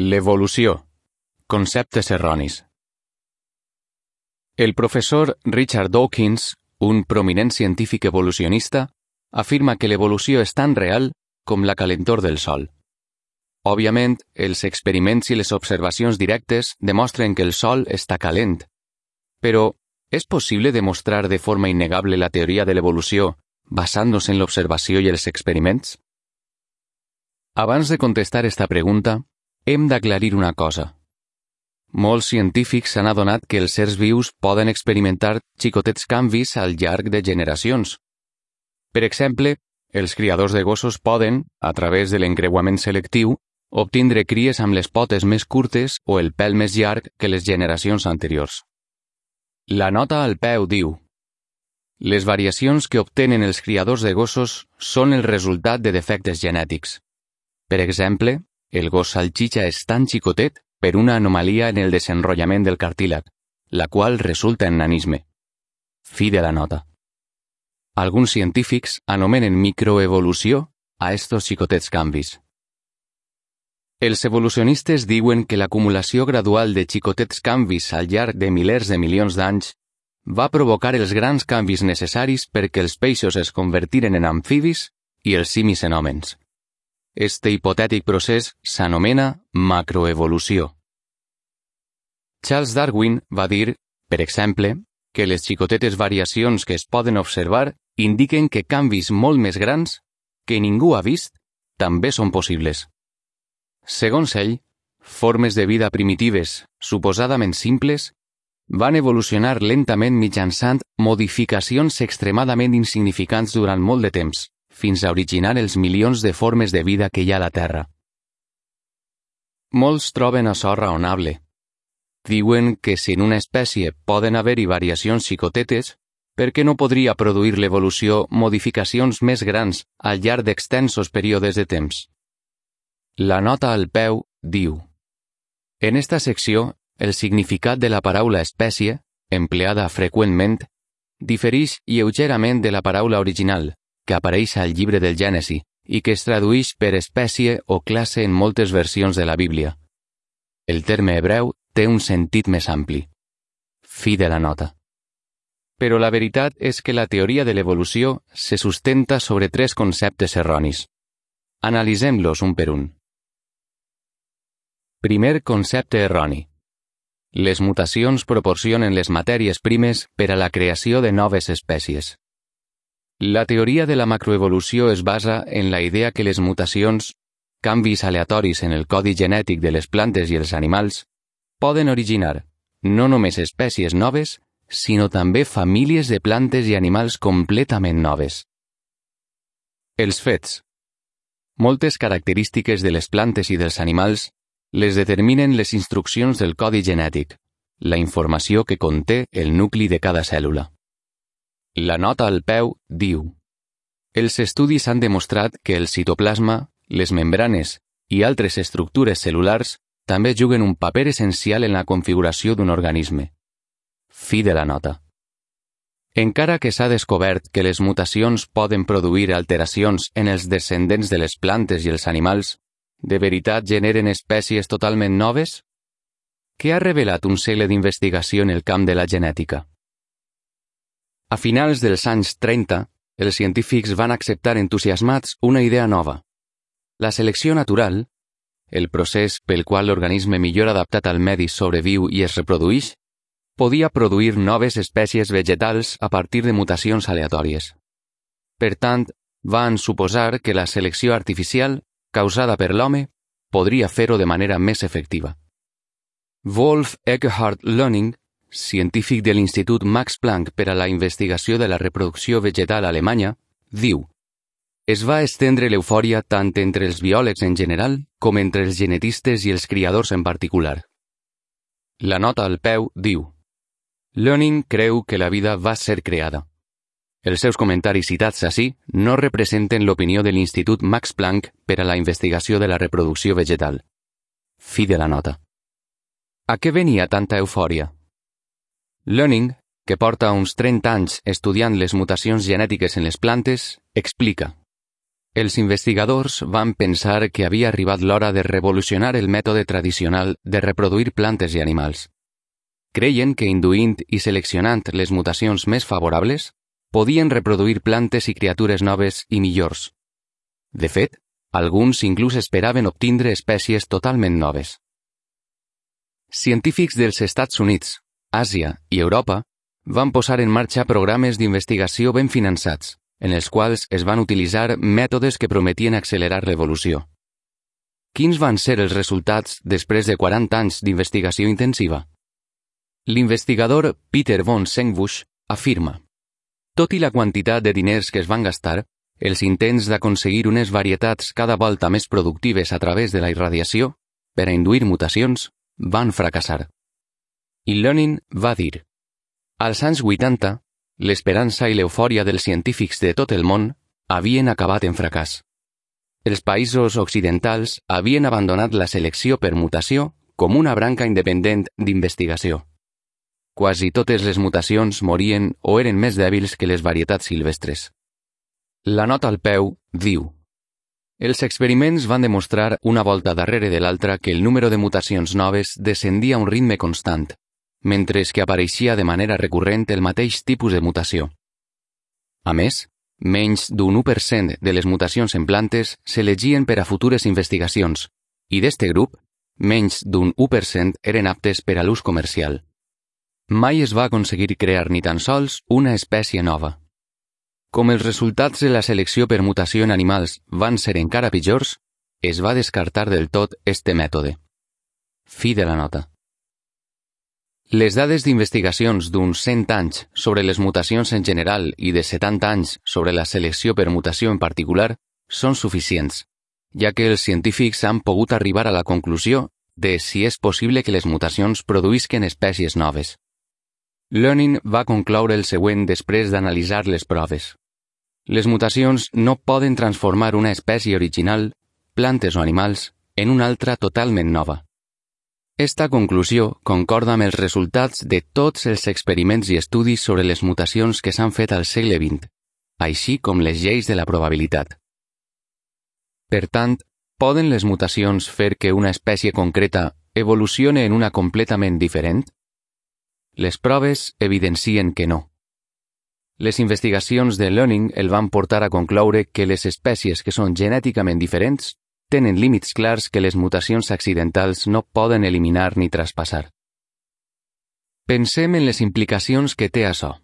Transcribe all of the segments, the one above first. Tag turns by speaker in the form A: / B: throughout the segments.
A: L'evolució. Conceptes erronis. El professor Richard Dawkins, un prominent científic evolucionista, afirma que l'evolució és tan real com la calentor del Sol. Òbviament, els experiments i les observacions directes demostren que el Sol està calent. Però, ¿és possible demostrar de forma innegable la teoria de l'evolució basant-nos en l'observació i els experiments? Abans de contestar esta pregunta, hem d'aclarir una cosa. Molts científics s'han adonat que els éssers vius poden experimentar xicotets canvis al llarg de generacions. Per exemple, els criadors de gossos poden, a través de l'encreuament selectiu, obtindre cries amb les potes més curtes o el pèl més llarg que les generacions anteriors. La nota al peu diu: les variacions que obtenen els criadors de gossos són el resultat de defectes genètics. Per exemple, el gos salxitxa és tan xicotet per una anomalia en el desenrotllament del cartílag, la qual resulta en nanisme. Fi de la nota. Alguns científics anomenen microevolució a estos xicotets canvis. Els evolucionistes diuen que l'acumulació gradual de xicotets canvis al llarg de milers de milions d'anys va provocar els grans canvis necessaris perquè els peixos es convertiren en amfibis i els simis en hòmens. Este hipotètic procés s'anomena macroevolució. Charles Darwin va dir, per exemple, que les xicotetes variacions que es poden observar indiquen que canvis molt més grans, que ningú ha vist, també són possibles. Segons ell, formes de vida primitives, suposadament simples, van evolucionar lentament mitjançant modificacions extremadament insignificants durant molt de temps, fins a originar els milions de formes de vida que hi ha a la Terra. Molts troben açò raonable. Diuen que si en una espècie poden haver-hi variacions xicotetes, per què no podria produir l'evolució modificacions més grans al llarg d'extensos períodes de temps? La nota al peu diu: en esta secció, el significat de la paraula espècie, empleada freqüentment, diferix lleugerament de la paraula original, que apareix al llibre del Gènesi i que es tradueix per espècie o classe en moltes versions de la Bíblia. El terme hebreu té un sentit més ampli. Fi de la nota. Però la veritat és que la teoria de l'evolució se sustenta sobre 3 conceptes erronis. Analitzem-los un per un. Primer concepte erroni. Les mutacions proporcionen les matèries primes per a la creació de noves espècies. La teoria de la macroevolució es basa en la idea que les mutacions, canvis aleatoris en el codi genètic de les plantes i els animals, poden originar no només espècies noves, sinó també famílies de plantes i animals completament noves. Els fets. Moltes característiques de les plantes i dels animals les determinen les instruccions del codi genètic, la informació que conté el nucli de cada cèl·lula. La nota al peu diu: els estudis han demostrat que el citoplasma, les membranes i altres estructures cel·lulars també juguen un paper essencial en la configuració d'un organisme. Fi de la nota. Encara que s'ha descobert que les mutacions poden produir alteracions en els descendents de les plantes i els animals, ¿de veritat generen espècies totalment noves? Què ha revelat un segle d'investigació en el camp de la genètica? A finals dels anys 30, els científics van acceptar entusiasmats una idea nova. La selecció natural, el procés pel qual l'organisme millor adaptat al medi sobreviu i es reprodueix, podia produir noves espècies vegetals a partir de mutacions aleatòries. Per tant, van suposar que la selecció artificial, causada per l'home, podria fer-ho de manera més efectiva. Wolf Eckhardt Löning, científic de l'Institut Max Planck per a la investigació de la reproducció vegetal alemanya, diu: es va estendre l'eufòria tant entre els biòlegs en general com entre els genetistes i els criadors en particular. La nota al peu diu: Löning creu que la vida va ser creada. Els seus comentaris citats ací no representen l'opinió de l'Institut Max Planck per a la investigació de la reproducció vegetal. Fi de la nota. A què venia tanta eufòria? Löning, que porta uns 30 anys estudiant les mutacions genètiques en les plantes, explica: els investigadors van pensar que havia arribat l'hora de revolucionar el mètode tradicional de reproduir plantes i animals. Creien que induint i seleccionant les mutacions més favorables, podien reproduir plantes i criatures noves i millors. De fet, alguns inclús esperaven obtindre espècies totalment noves. Científics dels Estats Units, Àsia i Europa van posar en marxa programes d'investigació ben finançats, en els quals es van utilitzar mètodes que prometien accelerar l'evolució. Quins van ser els resultats després de 40 anys d'investigació intensiva? L'investigador Peter von Sengbusch afirma: tot i la quantitat de diners que es van gastar, els intents d'aconseguir unes varietats cada volta més productives a través de la irradiació, per a induir mutacions, van fracassar. I Lenin va dir: als anys 80, l'esperança i l'eufòria dels científics de tot el món havien acabat en fracàs. Els països occidentals havien abandonat la selecció per mutació com una branca independent d'investigació. Quasi totes les mutacions morien o eren més dèbils que les varietats silvestres. La nota al peu diu: els experiments van demostrar una volta darrere de l'altra que el número de mutacions noves descendia a un ritme constant, mentre que apareixia de manera recurrent el mateix tipus de mutació. A més, menys d'un 1% de les mutacions en plantes s'elegien per a futures investigacions, i d'este grup, menys d'un 1% eren aptes per a l'ús comercial. Mai es va aconseguir crear ni tan sols una espècie nova. Com els resultats de la selecció per mutació en animals van ser encara pitjors, es va descartar del tot este mètode. Fi de la nota. Les dades d'investigacions d'uns 100 anys sobre les mutacions en general i de 70 anys sobre la selecció per mutació en particular són suficients, ja que els científics han pogut arribar a la conclusió de si és possible que les mutacions produïsquen espècies noves. Lenin va concloure el següent després d'analitzar les proves. Les mutacions no poden transformar una espècie original, plantes o animals, en una altra totalment nova. Esta conclusió concorda amb els resultats de tots els experiments i estudis sobre les mutacions que s'han fet al segle XX, així com les lleis de la probabilitat. Per tant, poden les mutacions fer que una espècie concreta evolucione en una completament diferent? Les proves evidencien que no. Les investigacions de Lenin el van portar a concloure que les espècies que són genèticament diferents tenen límits clars que les mutacions accidentals no poden eliminar ni traspassar. Pensem en les implicacions que té això.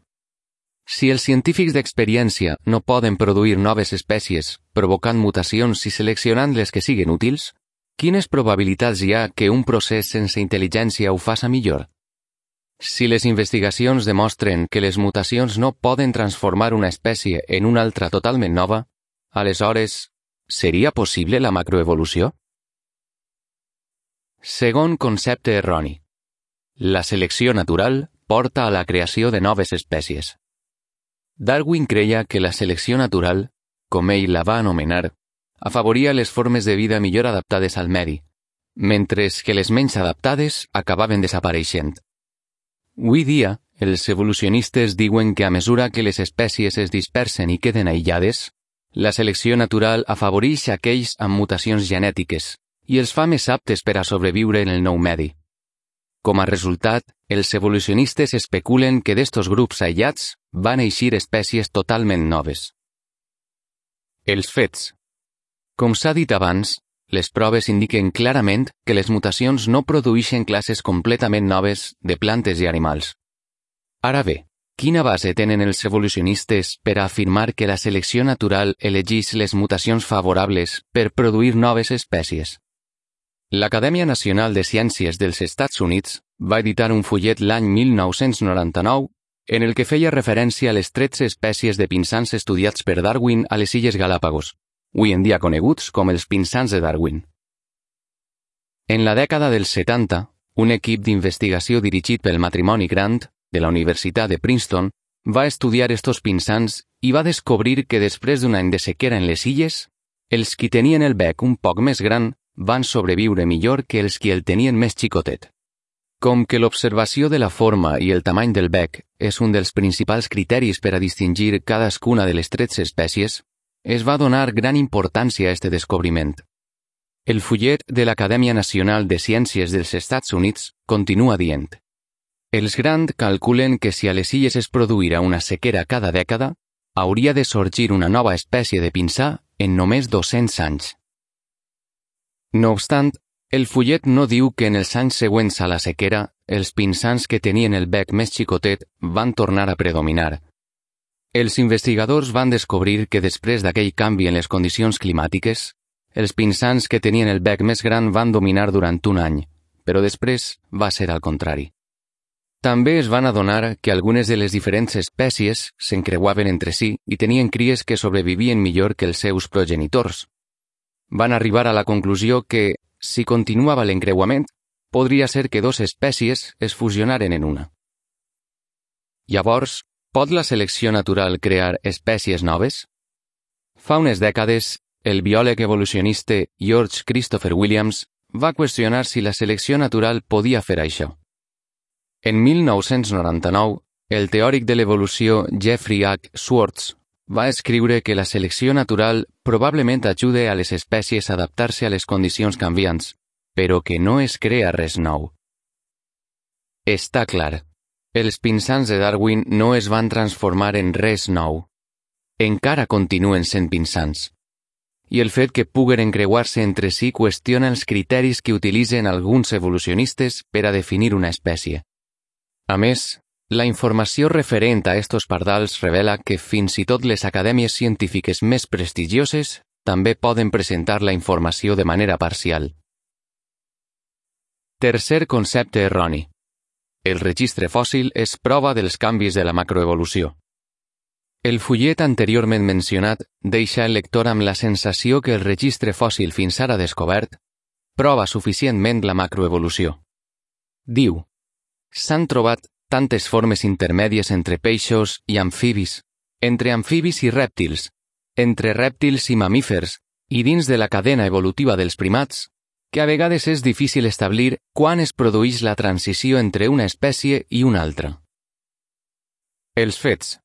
A: Si els científics d'experiència no poden produir noves espècies provocant mutacions i seleccionant les que siguin útils, quines probabilitats hi ha que un procés sense intel·ligència ho faça millor? Si les investigacions demostren que les mutacions no poden transformar una espècie en una altra totalment nova, aleshores, seria possible la macroevolució? Segon concepte erroni. La selecció natural porta a la creació de noves espècies. Darwin creia que la selecció natural, com ell la va anomenar, afavoria les formes de vida millor adaptades al medi, mentre que les menys adaptades acabaven desapareixent. Avui dia, els evolucionistes diuen que a mesura que les espècies es dispersen i queden aïllades, la selecció natural afavoreix aquells amb mutacions genètiques i els fa més aptes per a sobreviure en el nou medi. Com a resultat, els evolucionistes especulen que d'estos grups aïllats van eixir espècies totalment noves. Els fets. Com s'ha dit abans, les proves indiquen clarament que les mutacions no produeixen classes completament noves de plantes i animals. Ara bé, quina base tenen els evolucionistes per a afirmar que la selecció natural elegeix les mutacions favorables per produir noves espècies? L'Acadèmia Nacional de Ciències dels Estats Units va editar un fullet l'any 1999 en el que feia referència a les 13 espècies de pinsans estudiats per Darwin a les Illes Galápagos, avui en dia coneguts com els pinsans de Darwin. En la dècada dels 70, un equip d'investigació dirigit pel matrimoni Grant, de la Universitat de Princeton, va estudiar estos pinsans i va descobrir que després d'un any de sequera en les illes, els qui tenien el bec un poc més gran van sobreviure millor que els qui el tenien més xicotet. Com que l'observació de la forma i el tamany del bec és un dels principals criteris per a distingir cadascuna de les 13 espècies, es va donar gran importància a este descobriment. El fullet de l'Acadèmia Nacional de Ciències dels Estats Units continua dient: els Grant calculen que si a les illes es produïra una sequera cada dècada, hauria de sorgir una nova espècie de pinsà en només 200 anys. No obstant, el fullet no diu que en els anys següents a la sequera, els pinsans que tenien el bec més xicotet van tornar a predominar. Els investigadors van descobrir que després d'aquell canvi en les condicions climàtiques, els pinsans que tenien el bec més gran van dominar durant un any, però després va ser al contrari. També es van adonar que algunes de les diferents espècies s'encreuaven entre si i tenien cries que sobrevivien millor que els seus progenitors. Van arribar a la conclusió que, si continuava l'encreuament, podria ser que dues espècies es fusionaren en una. Llavors, pot la selecció natural crear espècies noves? Fa unes dècades, el biòleg evolucionista George Christopher Williams va qüestionar si la selecció natural podia fer això. En 1999, el teòric de l'evolució Jeffrey H. Schwartz va escriure que la selecció natural probablement ajuda a les espècies a adaptar-se a les condicions canviants, però que no es crea res nou. Està clar, els pinsans de Darwin no es van transformar en res nou. Encara continuen sent pinsans. I el fet que puguen encreuar-se entre si qüestiona els criteris que utilitzen alguns evolucionistes per a definir una espècie. A més, la informació referent a estos pardals revela que fins i tot les acadèmies científiques més prestigioses també poden presentar la informació de manera parcial. Tercer concepte erroni. El registre fòssil és prova dels canvis de la macroevolució. El fullet anteriorment mencionat deixa el lector amb la sensació que el registre fòssil fins ara descobert prova suficientment la macroevolució. Diu: s'han trobat tantes formes intermèdies entre peixos i amfibis, entre amfibis i rèptils, entre rèptils i mamífers, i dins de la cadena evolutiva dels primats, que a vegades és difícil establir quan es produeix la transició entre una espècie i una altra. Els fets.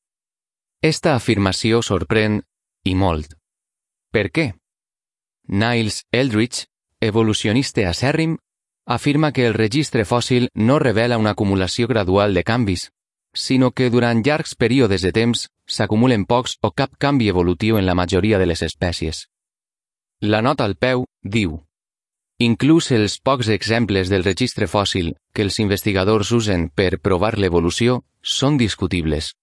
A: Esta afirmació sorprèn, i molt. Per què? Niles Eldredge, evolucionista acèrrim, afirma que el registre fòssil no revela una acumulació gradual de canvis, sinó que durant llargs períodes de temps s'acumulen pocs o cap canvi evolutiu en la majoria de les espècies. La nota al peu diu: inclús els pocs exemples del registre fòssil que els investigadors usen per provar l'evolució són discutibles.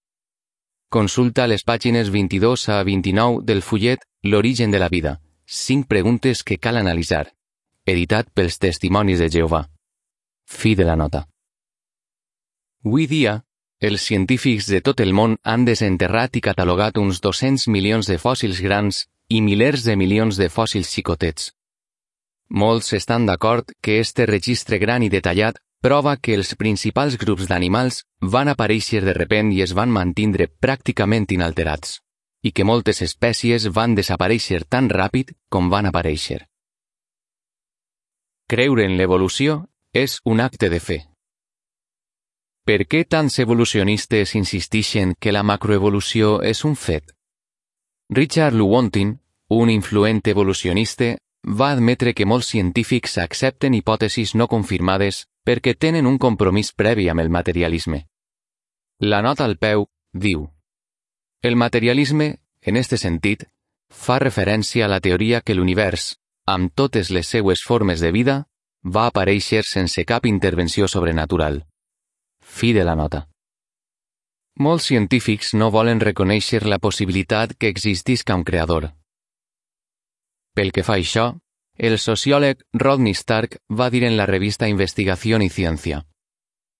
A: Consulta les pàgines 22 a 29 del fullet L'origen de la vida, 5 preguntes que cal analitzar, editat pels Testimonis de Jehovà. Fi de la nota. Avui dia, els científics de tot el món han desenterrat i catalogat uns 200 milions de fòssils grans i milers de milions de fòssils xicotets. Molts estan d'acord que este registre gran i detallat prova que els principals grups d'animals van aparèixer de repent i es van mantindre pràcticament inalterats, i que moltes espècies van desaparèixer tan ràpid com van aparèixer. Creure en l'evolució és un acte de fe. Per què tants evolucionistes insisteixen que la macroevolució és un fet? Richard Lewontin, un influent evolucionista, va admetre que molts científics accepten hipòtesis no confirmades perquè tenen un compromís previ amb el materialisme. La nota al peu diu: el materialisme, en este sentit, fa referència a la teoria que l'univers, amb totes les seues formes de vida, va aparèixer sense cap intervenció sobrenatural. Fi de la nota. Molts científics no volen reconèixer la possibilitat que existisca un creador. Pel que fa a això, el sociòleg Rodney Stark va dir en la revista Investigación y Ciencia: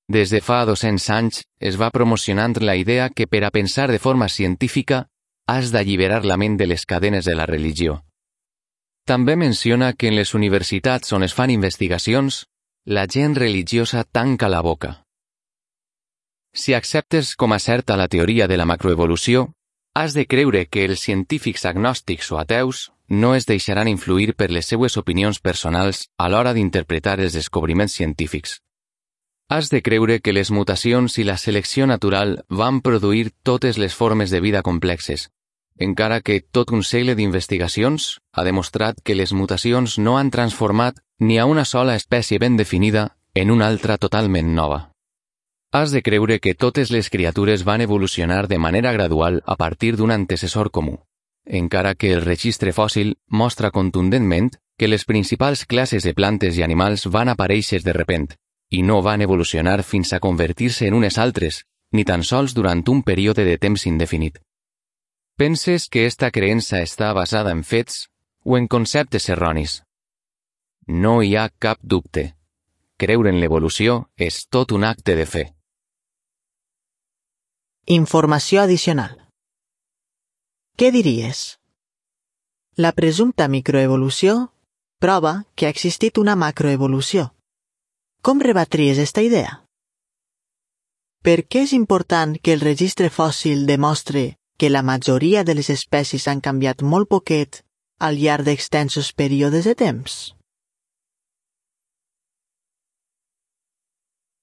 A: des de fa 200 anys es va promocionant la idea que per a pensar de forma científica has d'alliberar la ment de les cadenes de la religió. També menciona que en les universitats on es fan investigacions, la gent religiosa tanca la boca. Si acceptes com a certa la teoria de la macroevolució, has de creure que els científics agnòstics o ateus no es deixaran influir per les seues opinions personals a l'hora d'interpretar els descobriments científics. Has de creure que les mutacions i la selecció natural van produir totes les formes de vida complexes, encara que tot un segle d'investigacions ha demostrat que les mutacions no han transformat ni a una sola espècie ben definida en una altra totalment nova. Has de creure que totes les criatures van evolucionar de manera gradual a partir d'un antecessor comú, encara que el registre fòssil mostra contundentment que les principals classes de plantes i animals van aparèixer de repent i no van evolucionar fins a convertir-se en unes altres, ni tan sols durant un període de temps indefinit. Penses que esta creença està basada en fets o en conceptes erronis? No hi ha cap dubte. Creure en l'evolució és tot un acte de fe.
B: Informació addicional. Què diries? La presumpta microevolució prova que ha existit una macroevolució. Com rebatries esta idea? Per què és important que el registre fòssil demostre que la majoria de les espècies han canviat molt poquet al llarg d'extensos períodes de temps?